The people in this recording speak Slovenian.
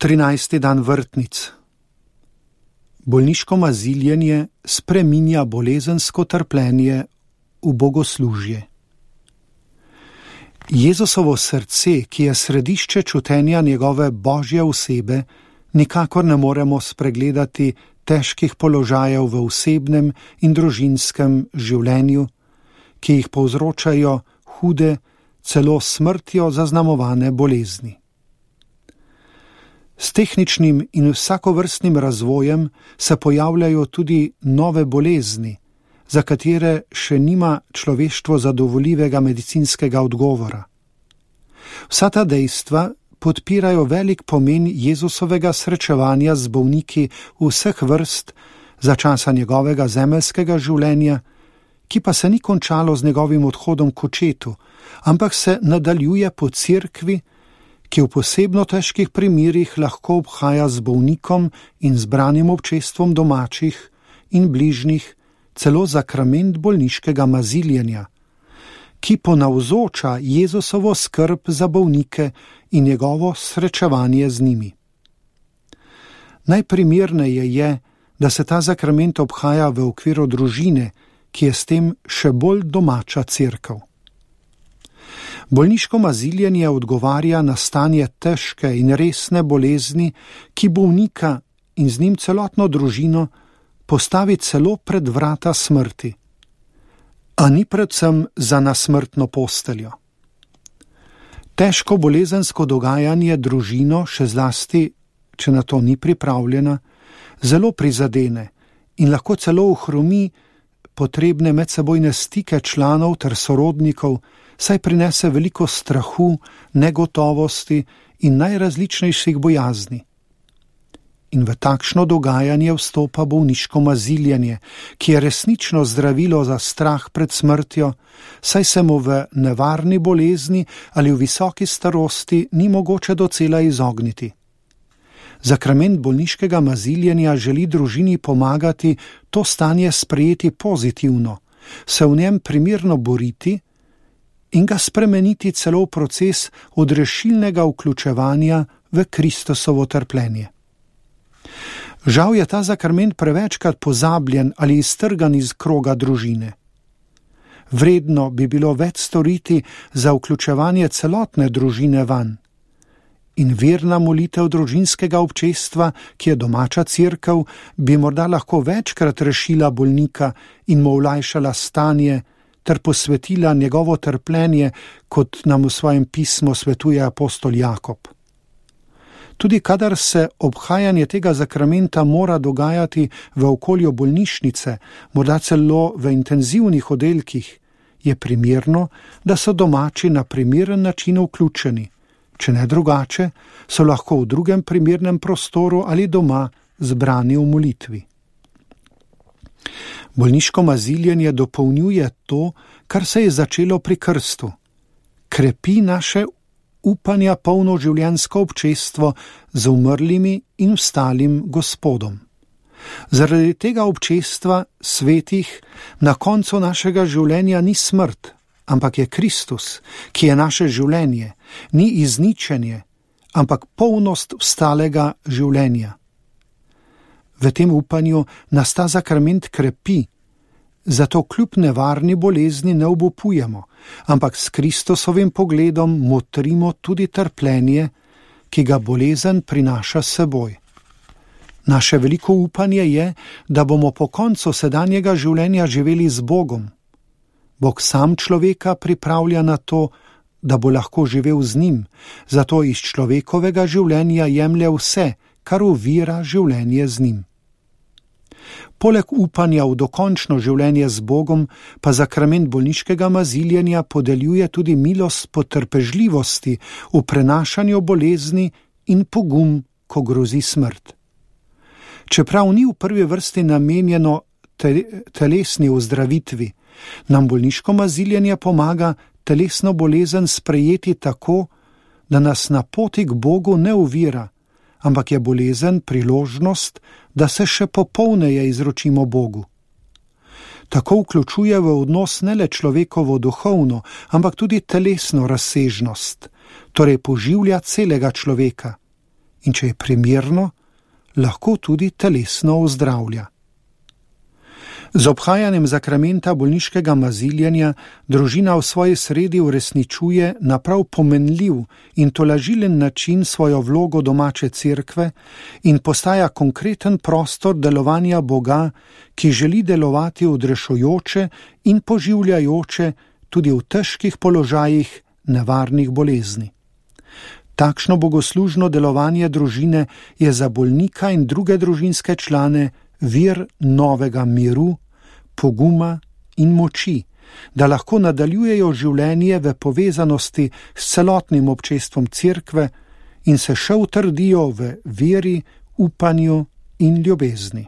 13. dan vrtnic. Bolniško maziljenje spreminja bolezensko trpljenje v bogoslužje. Jezusovo srce, ki je središče čutenja njegove božje osebe, nikakor ne moremo spregledati težkih položajev v osebnem in družinskem življenju, ki jih povzročajo hude, celo smrtjo zaznamovane bolezni. S tehničnim in vsakovrstnim razvojem se pojavljajo tudi nove bolezni, za katere še nima človeštvo zadovoljivega medicinskega odgovora. Vsa ta dejstva podpirajo velik pomen Jezusovega srečevanja z bolniki vseh vrst za časa njegovega zemeljskega življenja, ki pa se ni končalo z njegovim odhodom k očetu, ampak se nadaljuje po cerkvi, ki v posebno težkih primerih lahko obhaja z bolnikom in zbranim občestvom domačih in bližnjih celo zakrament bolniškega maziljenja, ki ponavzoča Jezusovo skrb za bolnike in njegovo srečevanje z njimi. Najprimerneje je, da se ta zakrament obhaja v okviru družine, ki je s tem še bolj domača cerkev. Bolniško maziljenje odgovarja na stanje težke in resne bolezni, ki bolnika in z njim celotno družino postavi celo pred vrata smrti, a ni predvsem za nasmrtno posteljo. Težko bolezensko dogajanje družino, še zlasti, če na to ni pripravljena, zelo prizadene in lahko celo ohromi potrebne medsebojne stike članov ter sorodnikov, saj prinese veliko strahu, negotovosti in najrazličnejših bojazni. In v takšno dogajanje vstopa bolniško maziljenje, ki je resnično zdravilo za strah pred smrtjo, saj se mu v nevarni bolezni ali v visoki starosti ni mogoče docela izogniti. Zakrament bolniškega maziljenja želi družini pomagati to stanje sprejeti pozitivno, se v njem primerno boriti in ga spremeniti celo v proces odrešilnega vključevanja v Kristusovo trpljenje. Žal je ta zakrament prevečkrat pozabljen ali iztrgan iz kroga družine. Vredno bi bilo več storiti za vključevanje celotne družine vanj. In verna molitev družinskega občestva, ki je domača cerkev, bi morda lahko večkrat rešila bolnika in mu olajšala stanje ter posvetila njegovo trpljenje, kot nam v svojem pismu svetuje apostol Jakob. Tudi kadar se obhajanje tega zakramenta mora dogajati v okolju bolnišnice, morda celo v intenzivnih oddelkih, je primerno, da so domači na primeren način vključeni. Če ne drugače, so lahko v drugem primernem prostoru ali doma zbrani v molitvi. Bolniško maziljenje dopolnjuje to, kar se je začelo pri krstu. Krepi naše upanja polno življenjsko občestvo z umrlimi in vstalim Gospodom. Zaradi tega občestva svetih na koncu našega življenja ni smrt, ampak je Kristus, ki je naše življenje, ni izničenje, ampak polnost vstalega življenja. V tem upanju nas ta zakrament krepi, zato kljub nevarni bolezni ne obupujemo, ampak s Kristusovim pogledom motrimo tudi trpljenje, ki ga bolezen prinaša s seboj. Naše veliko upanje je, da bomo po koncu sedanjega življenja živeli z Bogom. Bog sam človeka pripravlja na to, da bo lahko živel z njim, zato iz človekovega življenja jemlje vse, kar ovira življenje z njim. Poleg upanja v dokončno življenje z Bogom, pa zakrament bolniškega maziljenja podeljuje tudi milost potrpežljivosti v prenašanju bolezni in pogum, ko grozi smrt. Čeprav ni v prvi vrsti namenjeno telesni ozdravitvi, nam bolniško maziljenje pomaga telesno bolezen sprejeti tako, da nas na poti k Bogu ne ovira, ampak je bolezen priložnost, da se še popolneje izročimo Bogu. Tako vključuje v odnos ne le človekovo duhovno, ampak tudi telesno razsežnost, torej poživlja celega človeka in če je primerno, lahko tudi telesno ozdravlja. Z obhajanjem zakramenta bolniškega maziljenja družina v svoji sredi uresničuje na prav pomenljiv in tolažilen način svojo vlogo domače cerkve in postaja konkreten prostor delovanja Boga, ki želi delovati odrešujoče in poživljajoče tudi v težkih položajih nevarnih bolezni. Takšno bogoslužno delovanje družine je za bolnika in druge družinske člane vir novega miru, poguma in moči, da lahko nadaljujejo življenje v povezanosti s celotnim občestvom cerkve in se še utrdijo v veri, upanju in ljubezni.